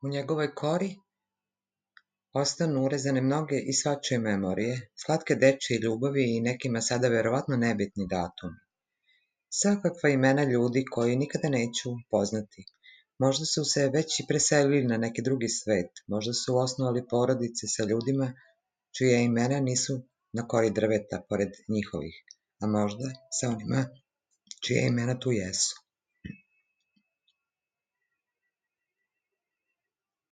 U njegovoj kori ostanu urezane mnoge i svačije memorije, slatke dečije ljubavi i nekima sada verovatno nebitni datumi. Svakakva imena ljudi koji nikada neću poznati. Možda su se već i preselili na neki drugi svet, možda su osnovali porodice sa ljudima čija imena nisu na kori drveta pored njihovih, a možda sa onima čija imena tu jesu.